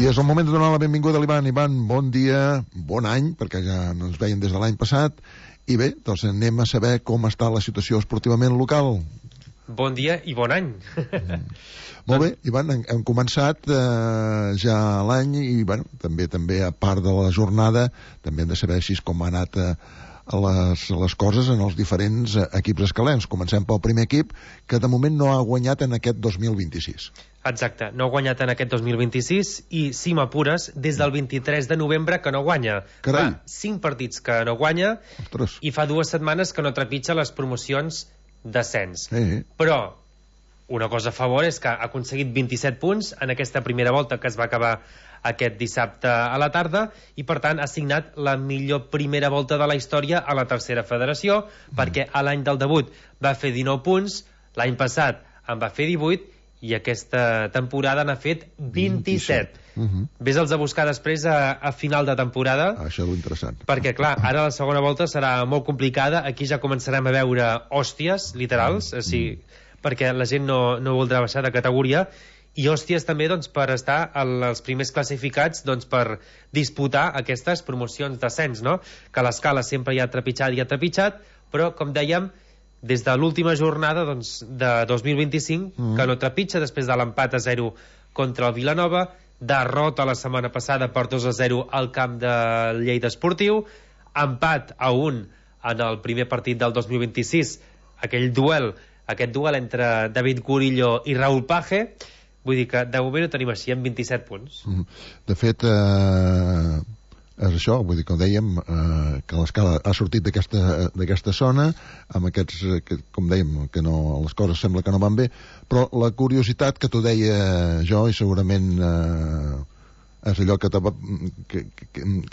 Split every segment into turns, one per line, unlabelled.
I és el moment de donar la benvinguda a l'Ivan. Ivan, bon dia, bon any, perquè ja no ens veiem des de l'any passat. I bé, doncs anem a saber com està la situació esportivament local.
Bon dia i bon any.
Molt bé, Ivan, hem començat ja l'any i bueno, també a part de la jornada també hem de saber així com ha anat les coses en els diferents equips escalens. Comencem pel primer equip, que de moment no ha guanyat en aquest 2026.
Exacte, no ha guanyat en aquest 2026 i, si m'apures, des del 23 de novembre que no guanya.
Carai.
Fa 5 partits que no guanya.
Ostres.
I fa 2 setmanes que no trepitja les promocions d'ascens. Però una cosa a favor és que ha aconseguit 27 punts en aquesta primera volta que es va acabar aquest dissabte a la tarda i per tant ha signat la millor primera volta de la història a la tercera federació, perquè a l'any del debut va fer 19 punts, l'any passat en va fer 18 i aquesta temporada n'ha fet 27. Ves-els a buscar després a final de temporada.
Això és interessant.
Perquè, clar, ara la segona volta serà molt complicada. Aquí ja començarem a veure hòsties literals, perquè la gent no voldrà baixar de categoria, i hòsties també doncs, per estar als primers classificats doncs, per disputar aquestes promocions d'ascens, no? Que l'escala sempre hi ha trepitjat, però, com dèiem, des de l'última jornada doncs, de 2025, que no trepitja després de l'empat a 0 contra el Vilanova, derrota la setmana passada per 2-0 al camp de Lleida Esportiu, empat a 1 en el primer partit del 2026, aquest duel entre David Gurillo i Raúl Page. Vull dir que de moment ho tenim així, amb 27 punts.
De fet, és això, vull dir, com dèiem, que l'escala ha sortit d'aquesta zona, amb aquests, com dèiem, que les coses sembla que no van bé, però la curiositat que t'ho deia jo, i segurament és allò que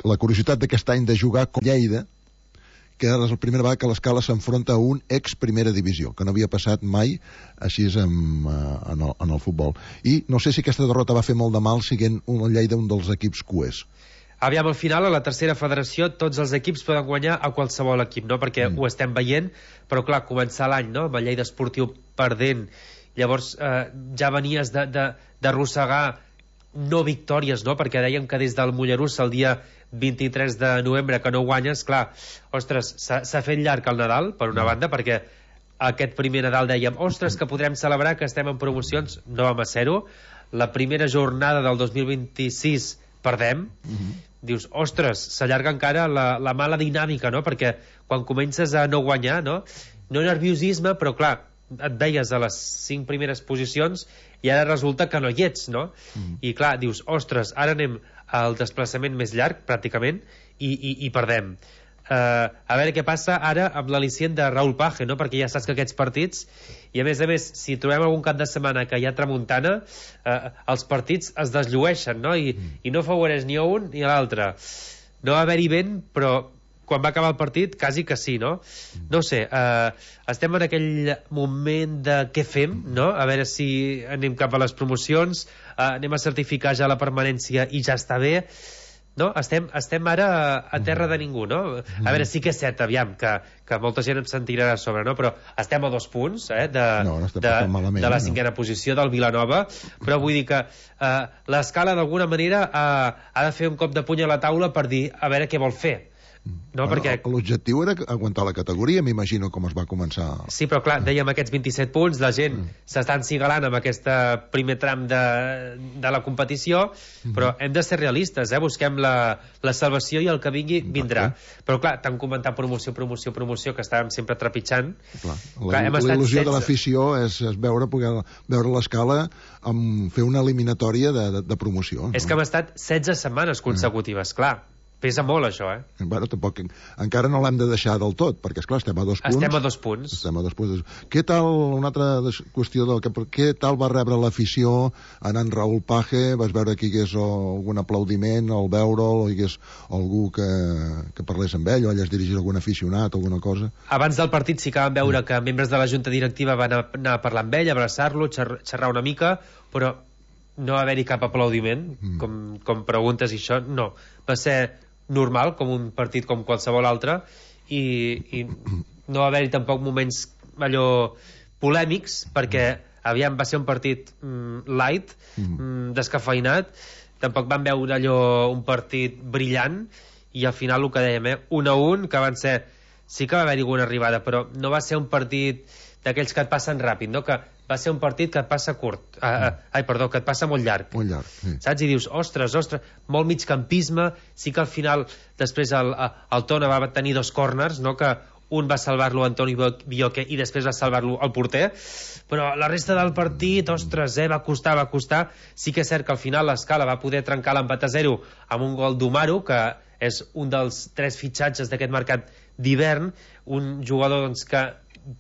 la curiositat d'aquest any de jugar com Lleida, que és la primera vegada que l'escala s'enfronta a un ex-primera divisió, que no havia passat mai així en el futbol. I no sé si aquesta derrota va fer molt de mal siguent una Lleida un dels equips cuers.
Aviam, al final, a la tercera federació, tots els equips poden guanyar a qualsevol equip, no? Perquè ho estem veient, però clar, començar l'any, no?, amb el Lleida Esportiu perdent, llavors ja venies d'arrossegar no victòries, no? Perquè dèiem que des del Mollerussa el dia 23 de novembre que no guanyes, clar, ostres, s'ha fet llarg el Nadal, per una banda, perquè aquest primer Nadal dèiem, ostres, que podrem celebrar que estem en promocions, no vam a ser-ho. La primera jornada del 2026 perdem, dius, ostres, s'allarga encara la mala dinàmica, no? Perquè quan comences a no guanyar, no nerviosisme, però clar, et veies a les 5 primeres posicions i ara resulta que no hi ets, no? I clar, dius, ostres, ara anem al desplaçament més llarg, pràcticament, i perdem. A veure què passa ara amb l'al·licient de Raúl Page, no? Perquè ja saps que aquests partits, i a més, si trobem algun cap de setmana que hi ha tramuntana, els partits es desllueixen, no? I no favoreix ni a un ni a l'altre. No va haver-hi vent, però quan va acabar el partit, quasi que sí, no? No ho sé, estem en aquell moment de què fem, no? A veure si anem cap a les promocions, anem a certificar ja la permanència i ja està bé, no? Estem ara a terra de ningú, no? A veure, sí que és cert, aviam, que molta gent em sentirà a sobre, no? Però estem a 2 punts de la 5a posició del Vilanova, però vull dir que l'escala d'alguna manera ha de fer un cop de puny a la taula per dir a veure què vol fer. No, perquè
l'objectiu era aguantar la categoria, m'imagino com es va començar.
Sí, però clar, dèiem aquests 27 punts, la gent s'està encigalant amb aquest primer tram de la competició, però hem de ser realistes, busquem la salvació i el que vingui vindrà. Però clar, tant comentar promoció, que estàvem sempre trepitjant.
La il·lusió de l'afició és poder veure l'escala fer una eliminatòria de promoció.
És que hem estat 16 setmanes consecutives, clar. Pesa molt, això,
Bueno, tampoc, encara no l'hem de deixar del tot, perquè, esclar, estem a 2 punts.
Estem a 2 punts.
Què tal, una altra qüestió, què tal va rebre l'afició anant Raúl Page? Vas veure que hi hagués algun aplaudiment al veure'l, o hi hagués algú que parlés amb ell, o ell es dirigís a algun aficionat, alguna cosa?
Abans del partit sí que vam veure que membres de la junta directiva van anar a parlar amb ell, abraçar-lo, xerrar una mica, però no va haver-hi cap aplaudiment, com preguntes i això, no. Va ser normal, com un partit com qualsevol altre, i no va haver-hi tampoc moments allò polèmics, perquè aviam, va ser un partit light, descafeinat, tampoc van veure allò un partit brillant, i al final el que dèiem, 1-1, que van ser... Sí que va haver-hi alguna arribada, però no va ser un partit d'aquells que et passen ràpid, no? Que va ser un partit que et passa curt. Que et passa molt llarg.
Molt llarg, sí.
Saps? I dius, ostres, molt migcampisme. Sí que al final, després el Tona va tenir 2 corners, no? Que un va salvar-lo Antoni Bioque i després va salvar-lo el porter, però la resta del partit, ostres, va costar. Sí que és cert que al final l'Escala va poder trencar l'empat a 0 amb un gol d'Umaru, que és un dels 3 fitxatges d'aquest mercat d'hivern, un jugador doncs, que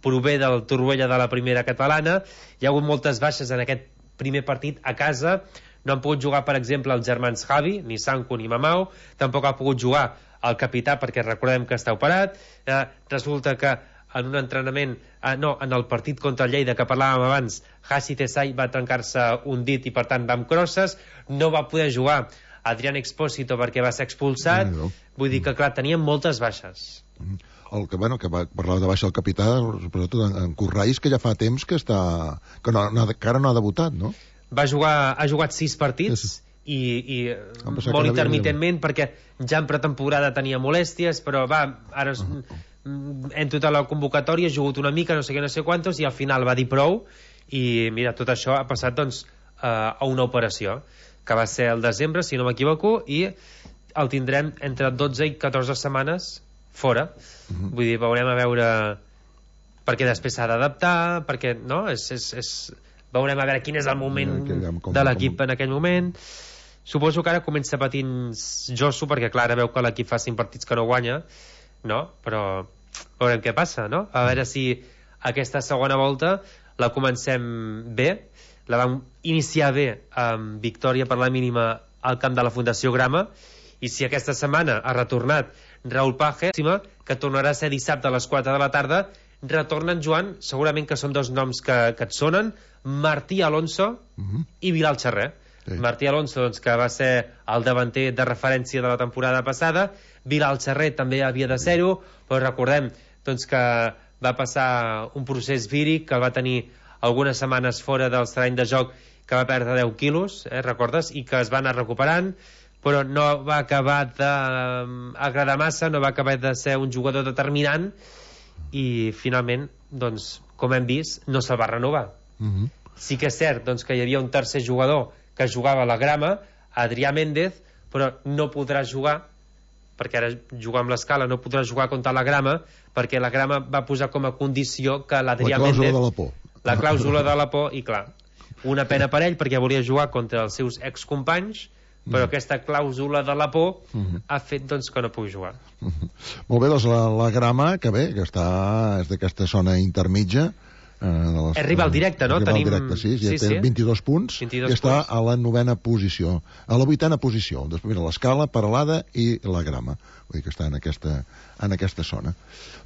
prové del Torroella de la primera catalana. Hi ha hagut moltes baixes en aquest primer partit a casa. No han pogut jugar, per exemple, els germans Javi, ni Sanko ni Mamau. Tampoc ha pogut jugar el capità, perquè recordem que està operat. Resulta que en un entrenament, en el partit contra el Lleida que parlàvem abans, Hassi Tesai va trencar-se un dit i per tant va amb crosses. No va poder jugar Adrián Expósito perquè va ser expulsat. Vull dir que clar, teníem moltes baixes.
Que parlava de baixa el capità, sobretot en Currais, que ja fa temps que encara no ha debutat, no?
Ha jugat 6 partits i molt intermitentment, perquè ja en pretemporada tenia molèsties, però ara en tota la convocatòria ha jugat una mica, no sé què, no sé quantos, i al final va dir prou, i mira, tot això ha passat doncs a una operació que va ser al desembre, si no m'equivoco, i el tindrem entre 12 i 14 setmanes fora. Vull dir, veurem a veure, perquè després s'ha d'adaptar, perquè no, veurem a veure quin és el moment de l'equip en aquell moment. Suposo que ara comença patint Josu, perquè clar, ara veu que l'equip fa 5 partits que no guanya, no? Però veurem què passa, no? A veure si aquesta segona volta la comencem bé. La vam iniciar bé amb victòria per la mínima al camp de la Fundació Grama, i si aquesta setmana ha retornat Raúl Paje, que tornarà a ser dissabte a les 4 de la tarda, retornen, Joan, segurament que són 2 noms que et sonen, Martí Alonso i Bilal Charrer. Martí Alonso, doncs, que va ser el davanter de referència de la temporada passada. Bilal Charrer també havia de ser-ho, però recordem doncs, que va passar un procés víric, que el va tenir algunes setmanes fora del terreny de joc, que va perdre 10 quilos, recordes? I que es va anar recuperant, però no va acabar d'agradar massa, no va acabar de ser un jugador determinant, i finalment, doncs, com hem vist, no se'l va renovar. Sí que és cert doncs, que hi havia un tercer jugador que jugava a la Grama, Adrià Méndez, però no podrà jugar, perquè ara jugar amb l'Escala, no podrà jugar contra la Grama, perquè la Grama va posar com a condició que l'Adrià Méndez...
La clàusula de la por.
La clàusula de la por, i clar, una pena per ell, perquè volia jugar contra els seus excompanys, però aquesta clàusula de la por ha fet doncs, que no pugui jugar.
Molt bé, doncs la Grama, que bé, que és d'aquesta zona intermitja,
és rival directe, no?
Sí, té 22 punts, i està a la 9ª posició, a la 8ª posició. Després mira l'Escala, Peralada i la Grama. Vull dir que està en aquesta zona.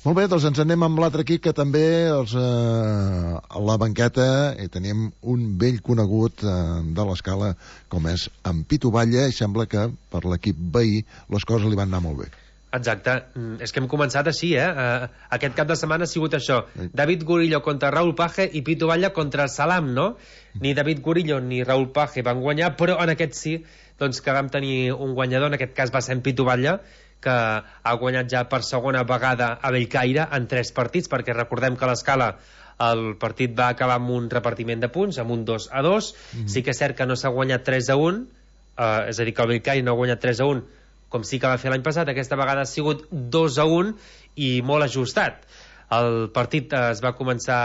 Molt bé, doncs ens anem amb l'altre equip, que també a la banqueta tenim un vell conegut de l'Escala, com és en Pitu Batlle, i sembla que per l'equip veí les coses li van anar molt bé.
Exacte, és que hem començat així, aquest cap de setmana ha sigut això, David Gurillo contra Raúl Paje i Pitu Batlle contra el Salam, no? Ni David Gurillo ni Raúl Paje van guanyar, però en aquest sí, doncs que vam tenir un guanyador, en aquest cas va ser en Pitu Batlle, que ha guanyat ja per segona vegada a Bellcaire en 3 partits, perquè recordem que a l'Escala el partit va acabar amb un repartiment de punts, amb un 2-2, sí que és cert que no s'ha guanyat 3-1, és a dir, que el Bellcaire no ha guanyat 3-1, com sí que va fer l'any passat. Aquesta vegada ha sigut 2-1 i molt ajustat. El partit es va començar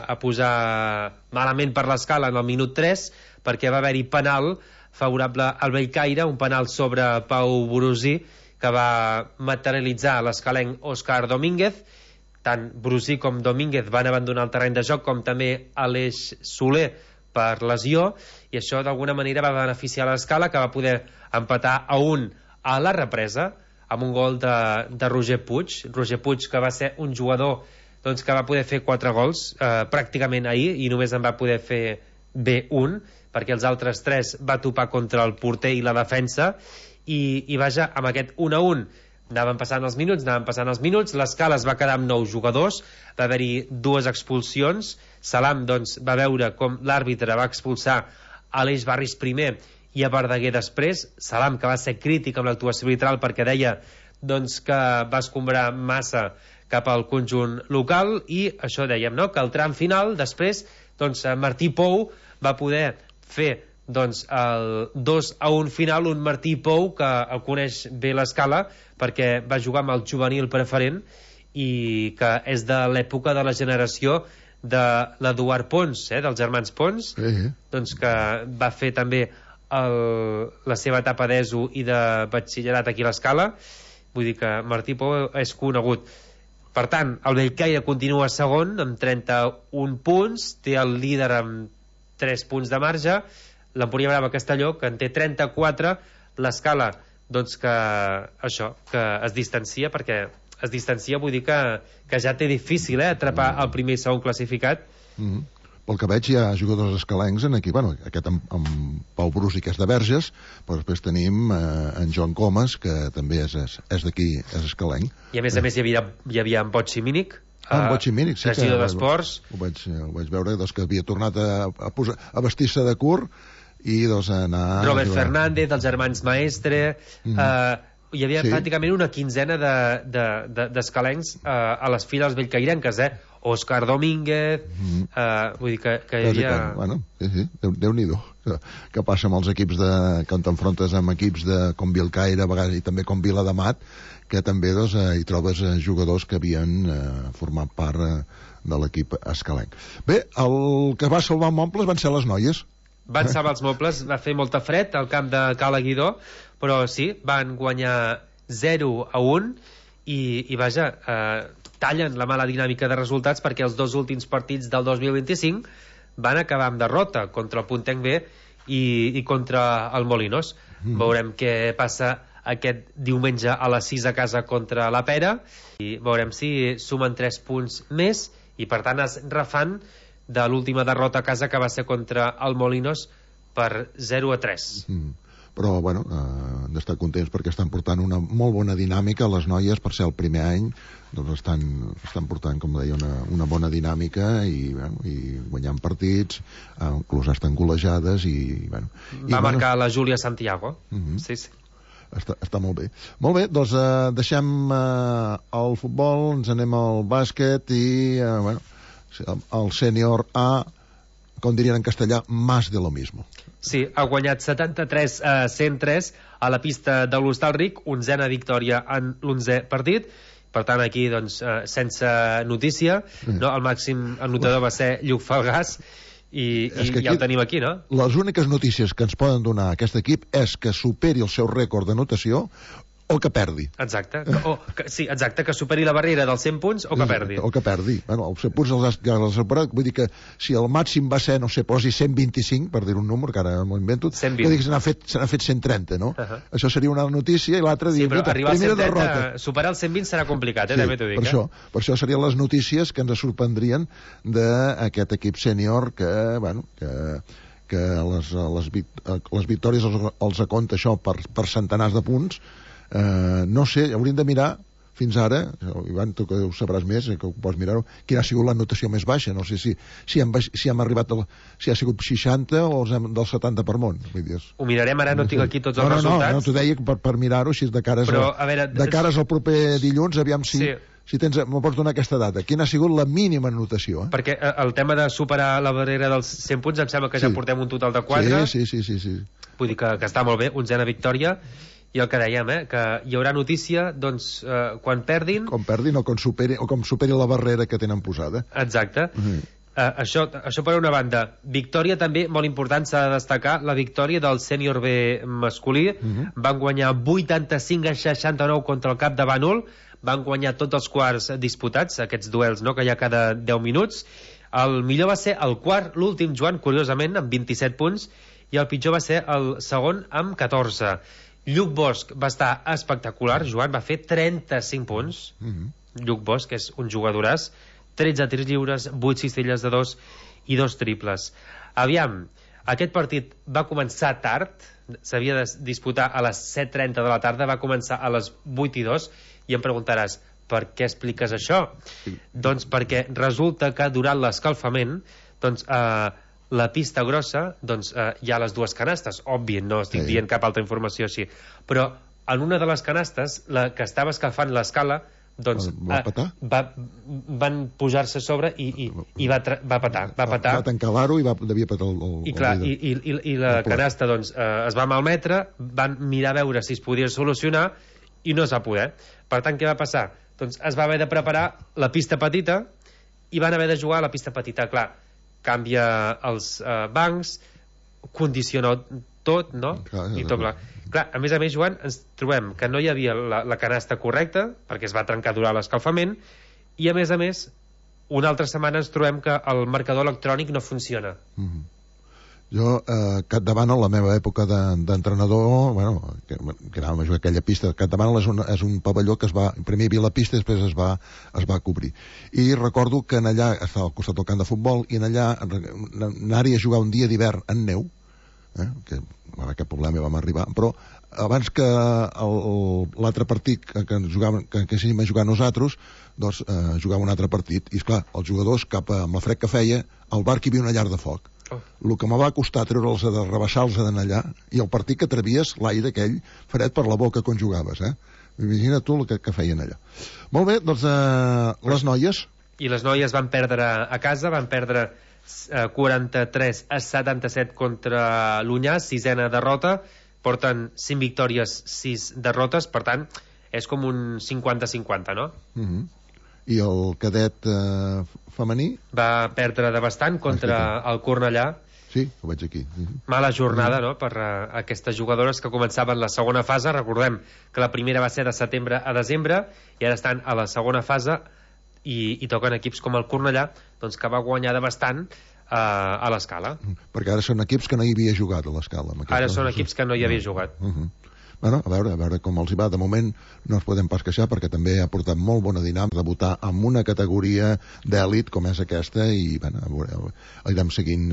a posar malament per l'Escala en el minut 3, perquè va haver-hi penal favorable al Bellcaire, un penal sobre Pau Borosí, que va materialitzar l'escalenc Òscar Domínguez. Tant Borosí com Domínguez van abandonar el terreny de joc, com també Aleix Soler per lesió, i això d'alguna manera va beneficiar l'Escala, que va poder empatar a 1 a la represa, amb un gol de Roger Puig, que va ser un jugador doncs, que va poder fer 4 gols pràcticament ahir, i només en va poder fer bé un, perquè els altres 3 va topar contra el porter i la defensa, i vaja, amb aquest 1-1 anaven passant els minuts, l'Escala es va quedar amb 9 jugadors, va haver-hi 2 expulsions. Salam doncs, va veure com l'àrbitre va expulsar Aleix Barris primer i a Verdaguer després. Salam, que va ser crític amb l'actuació arbitral perquè deia doncs, que va escombrar massa cap al conjunt local, i això dèiem, no?, que el tram final després doncs, Martí Pou va poder fer doncs, el 2-1 final, un Martí Pou que el coneix bé l'Escala perquè va jugar amb el juvenil preferent i que és de l'època de la generació de l'Eduard Pons, dels germans Pons, doncs que va fer també la seva etapa d'ESO i de batxillerat aquí a l'Escala. Vull dir que Martí Pou és conegut. Per tant, el Bellcaire continua segon amb 31 punts, té el líder amb 3 punts de marge, l'Empúria Brava Castelló, que en té 34, l'Escala, doncs que això, que es distancia, perquè es distancia, vull dir que ja té difícil atrapar el primer i segon classificat.
Pel que veig hi ha jugadors escalencs en aquí, bueno, aquest amb Pau Brus i que és de Verges, però després tenim en Joan Comas, que també és d'aquí, és escalenc.
I a més hi havia en Botxi Mínic,
en Botxi Mínic, sí,
regidor d'Esports.
Ho vaig veure, doncs, que havia tornat a vestir-se de curt i doncs anar...
Robert Fernández, dels germans Maestre... hi havia pràcticament una quinzena d'escalencs a les files bellcairenques, Òscar Domínguez, vull dir que hi havia...
Bueno, sí, Déu-n'hi-do, que passa amb els equips quan t'enfrontes amb equips com Bellcaire, a vegades, i també com Viladamat, que també doncs, hi trobes jugadors que havien format part de l'equip escalenc. Bé, el que va salvar Montbles van ser les noies.
Van salvar els Montbles, va fer molta fred al camp de Cala Guidó, però sí, van guanyar 0-1 i vaja, tallen la mala dinàmica de resultats perquè els dos últims partits del 2025 van acabar amb derrota contra el Puntenc B i contra el Molinos. Veurem què passa aquest diumenge a les 6 a casa contra la Pera i veurem si sumen 3 punts més i per tant es refan de l'última derrota a casa que va ser contra el Molinos per 0-3.
Però, bueno, hem d'estar contents perquè estan portant una molt bona dinàmica. Les noies, per ser el primer any, doncs estan portant, com deia, una bona dinàmica i guanyant partits, inclús estan golejades i, bueno...
Va marcar la Júlia Santiago. Sí.
Està molt bé. Molt bé, doncs deixem el futbol, ens anem al bàsquet i, bueno, el sènior A, com dirien en castellà, más de lo mismo.
Sí, ha guanyat 73-103 a la pista de l'Hostalric, 11a victòria en l'11è partit. Per tant, aquí, doncs, sense notícia, no? El màxim anotador va ser Lluc Falgàs i ja el tenim aquí, no?
Les úniques notícies que ens poden donar aquest equip és que superi el seu rècord d'anotació o que perdi.
Exacte. Sí, exacte, que superi la barrera dels 100 punts o que perdi.
O que perdi. Bueno, els 100 punts els ha superat, vull dir que si el màxim va ser, no sé, posi 125, per dir un número, que ara m'ho invento,
120.
Vull dir que se n'ha fet 130, no? Això seria una notícia i l'altra dir,
però arribar
primera
130,
derrota.
Superar el 120 serà complicat, també t'ho dic.
Per això serien les notícies que ens sorprendrien d'aquest equip sènior que, bueno, que les victòries els acompta això per centenars de punts. No sé, hauríem de mirar fins ara, Ivan, tu que ho sabràs més, que ho pots mirar-ho, quina ha sigut la notació més baixa, no sé si hem arribat si ha sigut 60 o del 70 per món.
Ho mirarem, ara no tinc aquí tots els resultats.
No, t'ho deia per mirar-ho, així de cares al proper dilluns, aviam si m'ho pots donar aquesta data. Quina ha sigut la mínima notació?
Perquè el tema de superar la barrera dels 100 punts em sembla que ja portem un total de 4.
Sí.
Vull dir que està molt bé, 11a victòria. I el que dèiem, que hi haurà notícia, doncs, quan perdin...
Com perdin o com superi la barrera que tenen posada.
Exacte. Això per una banda. Victòria també, molt important, s'ha de destacar, la victòria del sènior B masculí. Van guanyar 85-69 contra el Cap de Bànol. Van guanyar tots els quarts disputats, aquests duels, no?, que hi ha cada 10 minuts. El millor va ser el quart, l'últim, Joan, curiosament, amb 27 punts, i el pitjor va ser el segon, amb 14. Lluc Bosch va estar espectacular, Joan, va fer 35 punts. Lluc Bosch és un jugadoràs, 13 tirs lliures, 8 cistelles de 2 i 2 triples. Aviam, aquest partit va començar tard, s'havia de disputar a les 7:30 de la tarda, va començar a les 8:02, i em preguntaràs, per què expliques això? Doncs perquè resulta que durant l'escalfament, doncs, la pista grossa, doncs hi ha les dues canastes, òbvi, no estic dient cap altra informació així, però en una de les canastes, la que estava escalfant l'escala, doncs van pujar-se a sobre i va petar.
Va tancar l'aro i devia petar
i la canasta doncs, es va malmetre, van mirar a veure si es podia solucionar i no es va poder. Per tant, què va passar? Doncs es va haver de preparar la pista petita i van haver de jugar a la pista petita. Clar, canvia els bancs, condiciona tot, no? I tot clar. Clar, a més, Joan, ens trobem que no hi havia la canasta correcta, perquè es va trencar durant l'escalfament, i a més, una altra setmana ens trobem que el marcador electrònic no funciona.
Jo, Capdavant, a la meva època d'entrenador, bueno, que anàvem a jugar aquella pista, Capdavant és un pavelló que primer hi havia la pista i després es va cobrir. I recordo que en allà, estava al costat del camp de futbol, i en allà anar-hi a jugar un dia d'hivern en neu, que aquest problema vam arribar, però abans que l'altre partit que anéssim a jugar nosaltres, doncs jugava un altre partit, i esclar, els jugadors, amb la fred que feia, al bar hi havia una llar de foc. El que me va costar treure'ls de rebaixar-los d'allà, i el partit que trevies l'aire aquell fred per la boca quan jugaves, imagina tu el que feien allà. Molt bé, doncs les noies.
I les noies van perdre a casa, van perdre 43 a 77 contra l'Unyà, 6ena derrota, porten 5 victòries, 6 derrotes, per tant és com un 50-50, no?
I el cadet femení?
Va perdre de bastant contra el Cornellà.
Sí, ho veig aquí.
Mala jornada, no?, per aquestes jugadores que començaven la segona fase. Recordem que la primera va ser de setembre a desembre i ara estan a la segona fase i toquen equips com el Cornellà, doncs, que va guanyar de bastant a l'Escala.
Perquè ara són equips que no hi havia jugat a l'Escala.
Ara són equips que no hi havia jugat.
Bueno, a veure com els hi va. De moment no ens podem pas queixar perquè també ha portat molt bona dinàmica de votar en una categoria d'èlit com és aquesta i anirem seguint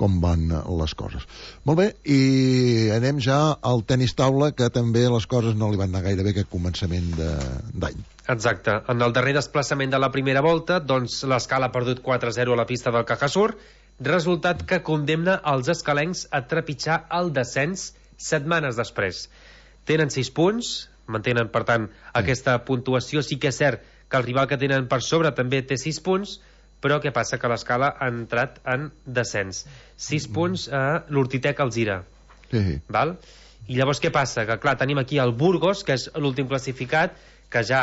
com van les coses. Molt bé, i anem ja al tenis taula, que també les coses no li van anar gaire bé aquest començament d'any.
Exacte. En el darrer desplaçament de la primera volta, doncs l'Escala ha perdut 4-0 a la pista del Cajasur, resultat que condemna els escalencs a trepitjar el descens setmanes després. Tenen 6 punts, mantenen, per tant, aquesta puntuació. Sí que és cert que el rival que tenen per sobre també té 6 punts, però què passa? Que l'Escala ha entrat en descens. 6 punts a l'Urtitec Alzira. Val? I llavors què passa? Que clar, tenim aquí el Burgos, que és l'últim classificat, que ja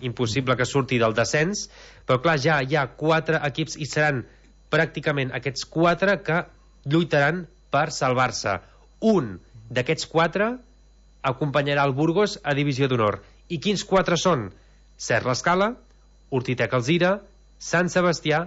impossible que surti del descens, però clar, ja hi ha 4 equips i seran pràcticament aquests 4 que lluitaran per salvar-se. Un d'aquests 4 acompanyarà el Burgos a Divisió d'Honor. I quins 4 són? Cert l'Escala, Urtitec Alzira, Sant Sebastià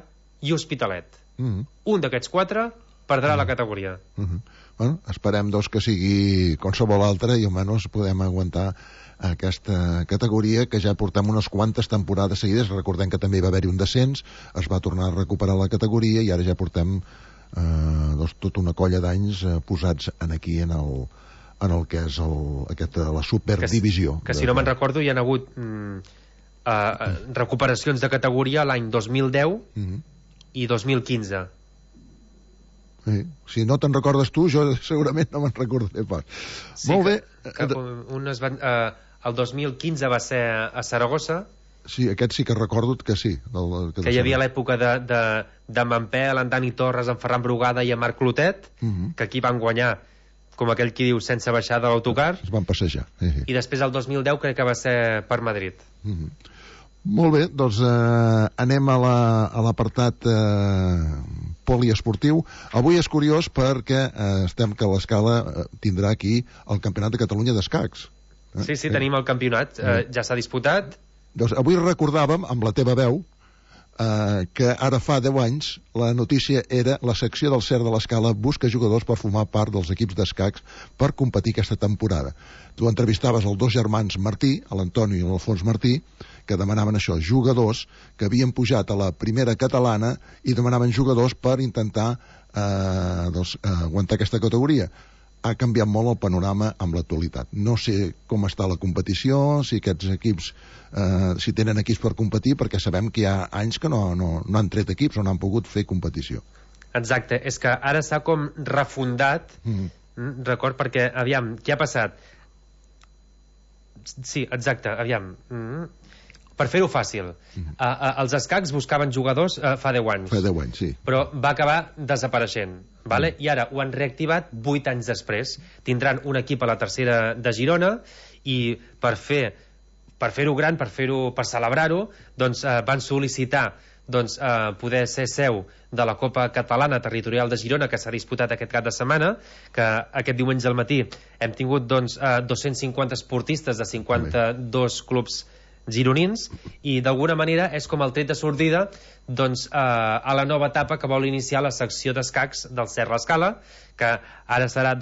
i Hospitalet. Un d'aquests 4 perdrà la categoria.
Bueno, esperem doncs que sigui qualsevol altra i almenys podem aguantar aquesta categoria que ja portem unes quantes temporades seguides. Recordem que també va haver-hi un descens, es va tornar a recuperar la categoria i ara ja portem tota una colla d'anys posats aquí en el que és la superdivisió.
Que si no me'n recordo hi ha hagut recuperacions de categoria l'any 2010 i 2015.
Si no te'n recordes tu, jo segurament no me'n recordaré pas. Molt bé.
El 2015 va ser a Saragossa.
Sí, aquest sí que recordo que sí.
Que hi havia l'època de Mampel, en Dani Torres, en Ferran Brugada i en Marc Clotet, que aquí van guanyar, com aquell qui diu, sense baixar de l'autocar.
Es van passejar.
I després el 2010 crec que va ser per Madrid.
Molt bé, doncs anem a l'apartat poliesportiu. Avui és curiós perquè estem que l'Escala tindrà aquí el Campionat de Catalunya d'escacs.
Sí, tenim el campionat, ja s'ha disputat.
Doncs avui recordàvem, amb la teva veu, que ara fa 10 anys la notícia era la secció del CER de l'Escala busca jugadors per formar part dels equips d'escacs per competir aquesta temporada. Tu entrevistaves els 2 germans Martí, l'Antoni i l'Alfons Martí, que demanaven això, jugadors que havien pujat a la primera catalana i demanaven jugadors per intentar aguantar aquesta categoria. Ha canviat molt el panorama amb l'actualitat. No sé com està la competició, si aquests equips si tenen equips per competir, perquè sabem que hi ha anys que no han tret equips o no han pogut fer competició.
Exacte, és que ara s'ha com refundat, record, perquè, aviam, què ha passat? Sí, exacte, aviam. Per fer-ho fàcil, els escacs buscaven jugadors fa 10 anys.
Fa 10 anys, sí.
Però va acabar desapareixent, vale? I ara ho han reactivat 8 anys després. Tindran un equip a la tercera de Girona i per fer-ho gran, per celebrar-ho, doncs van sol·licitar poder ser seu de la Copa Catalana Territorial de Girona, que s'ha disputat aquest cap de setmana, que aquest diumenge al matí hem tingut 250 esportistes de 52 clubs gironins, i d'alguna manera és com el tret de sortida a la nova etapa que vol iniciar la secció d'escacs del Cert l'Escala, que ara serà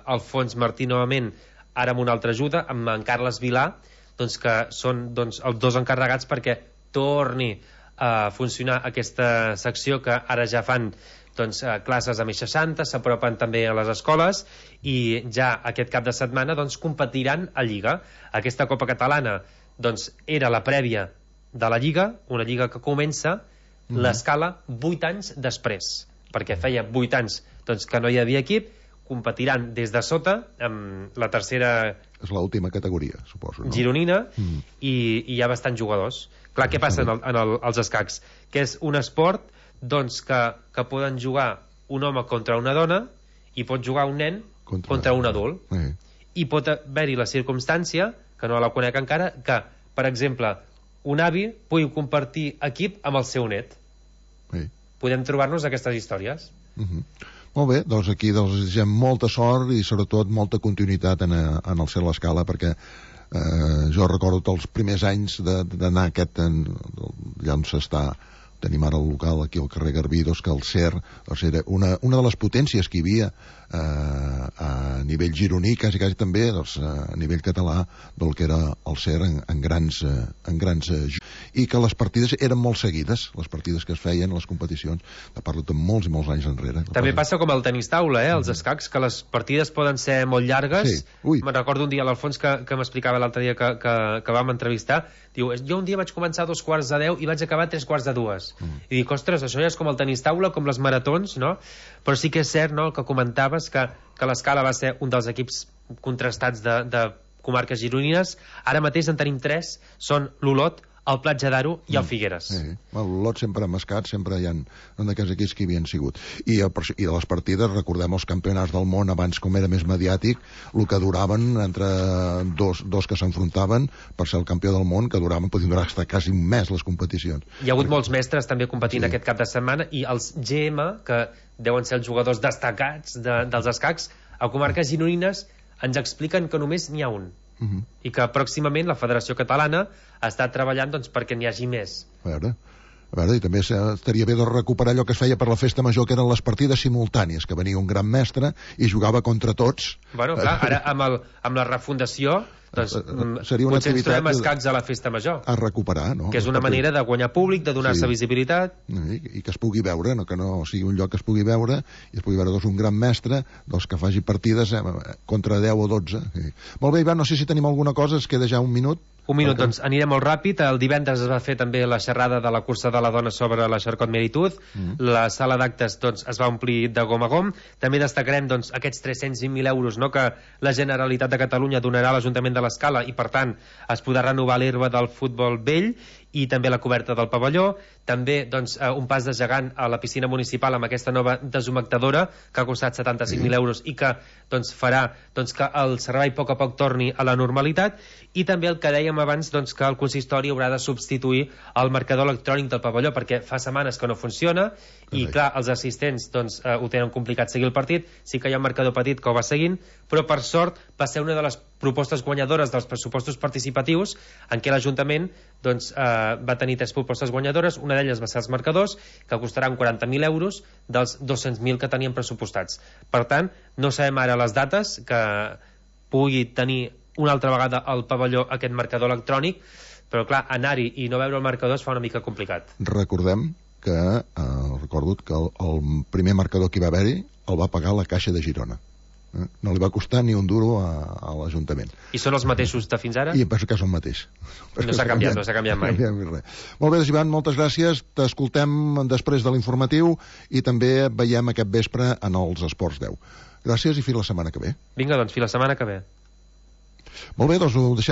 Alfons Martí novament, ara amb una altra ajuda, amb en Carles Vilà, que són els dos encarregats perquè torni a funcionar aquesta secció, que ara ja fan classes a més 60, s'apropen també a les escoles, i ja aquest cap de setmana competiran a Lliga. Aquesta Copa Catalana era la prèvia de la Lliga, una Lliga que comença l'Escala 8 anys després, perquè feia 8 anys que no hi havia equip. Competiran des de sota amb la tercera,
és l'última categoria, suposo, no?
Gironina, i hi ha bastants jugadors. Clar, què passa als escacs? Que és un esport que poden jugar un home contra una dona, i pot jugar un nen contra un adult. I pot haver-hi la circumstància, que no la conec encara, que, per exemple, un avi pugui compartir equip amb el seu net. Podem trobar-nos aquestes històries.
Molt bé, doncs aquí desitgem molta sort i sobretot molta continuïtat en el Cert l'Escala, perquè jo recordo els primers anys d'anar allà on s'està, tenim ara el local aquí al carrer Garbí, que el Cert era una de les potències que hi havia a nivell gironí, quasi també a nivell català, del que era el Cert en grans i que les partides eren molt seguides, les partides que es feien a les competicions, parlo de molts i molts anys enrere.
També passa com el tenis taula, els escacs, que les partides poden ser molt llargues. Me'n recordo un dia l'Alfons que m'explicava l'altre dia que vam entrevistar, diu, jo un dia vaig començar a 2:45 i vaig acabar a 3:45. I dic, ostres, això ja és com el tenis taula, com les maratons, no? Però sí que és cert, no?, el que comentaves, que l'Escala va ser un dels equips contrastats de comarques gironines. Ara mateix en tenim 3, són l'Olot, el Platja d'Aro i el Figueres.
L'Olot sempre ha mascat, sempre hi ha un d'aquests equips que hi havien sigut. I de les partides, recordem els campionats del món abans, com era més mediàtic, el que duraven entre dos que s'enfrontaven per ser el campió del món, que podien durar fins quasi un mes les competicions.
Hi ha hagut molts mestres també competint aquest cap de setmana, i els GM, que deuen ser els jugadors destacats dels escacs, a comarques gironines ens expliquen que només n'hi ha un. I que pròximament la Federació Catalana està treballant perquè n'hi hagi més.
A veure, i també estaria bé de recuperar allò que es feia per la festa major, que eren les partides simultànies, que venia un gran mestre i jugava contra tots.
Bueno, clar, ara amb la refundació
seria una
potser ens trobem escacs a la festa major
a recuperar, no?
Que és una manera de guanyar públic, de donar-se visibilitat
i que es pugui veure, que no sigui un lloc que es pugui veure, i es pugui veure un gran mestre que faci partides contra 10 o 12. Molt bé, Ivan, no sé si tenim alguna cosa, es queda ja un minut.
Un minut, doncs anirem molt ràpid. El divendres es va fer també la xerrada de la cursa de la dona sobre la Xarcot Meritud. La sala d'actes es va omplir de gom a gom. També destacarem aquests 320.000 euros que la Generalitat de Catalunya donarà a l'Ajuntament de l'Escala, i per tant es podrà renovar l'herba del futbol vell i també la coberta del pavelló. També un pas de gegant a la piscina municipal amb aquesta nova deshumectadora que ha costat 75.000 euros i que farà que el servei a poc torni a la normalitat. I també el que dèiem abans, que el consistori haurà de substituir el marcador electrònic del pavelló, perquè fa setmanes que no funciona i clar, els assistents ho tenen complicat seguir el partit. Sí que hi ha un marcador petit que ho va seguint, però per sort va ser una de les propostes guanyadores dels pressupostos participatius, en què l'Ajuntament va tenir 3 propostes guanyadores. Una d'elles va ser els marcadors, que costaran 40.000 euros dels 200.000 que tenien pressupostats. Per tant, no sabem ara les dates que pugui tenir una altra vegada al pavelló aquest marcador electrònic, però clar, anar-hi i no veure el marcador es fa una mica complicat.
Recordem que recordo que el primer marcador que hi va haver-hi el va pagar la Caixa de Girona. No li va costar ni un duro a l'Ajuntament.
I són els mateixos de fins ara?
I em penso que són mateix.
No s'ha canviat mai.
Molt bé, Ivan, moltes gràcies. T'escoltem després de l'informatiu i també veiem aquest vespre en els Esports 10. Gràcies i fins la setmana que ve.
Vinga, doncs, fins la setmana que ve.
Molt bé, doncs ho deixem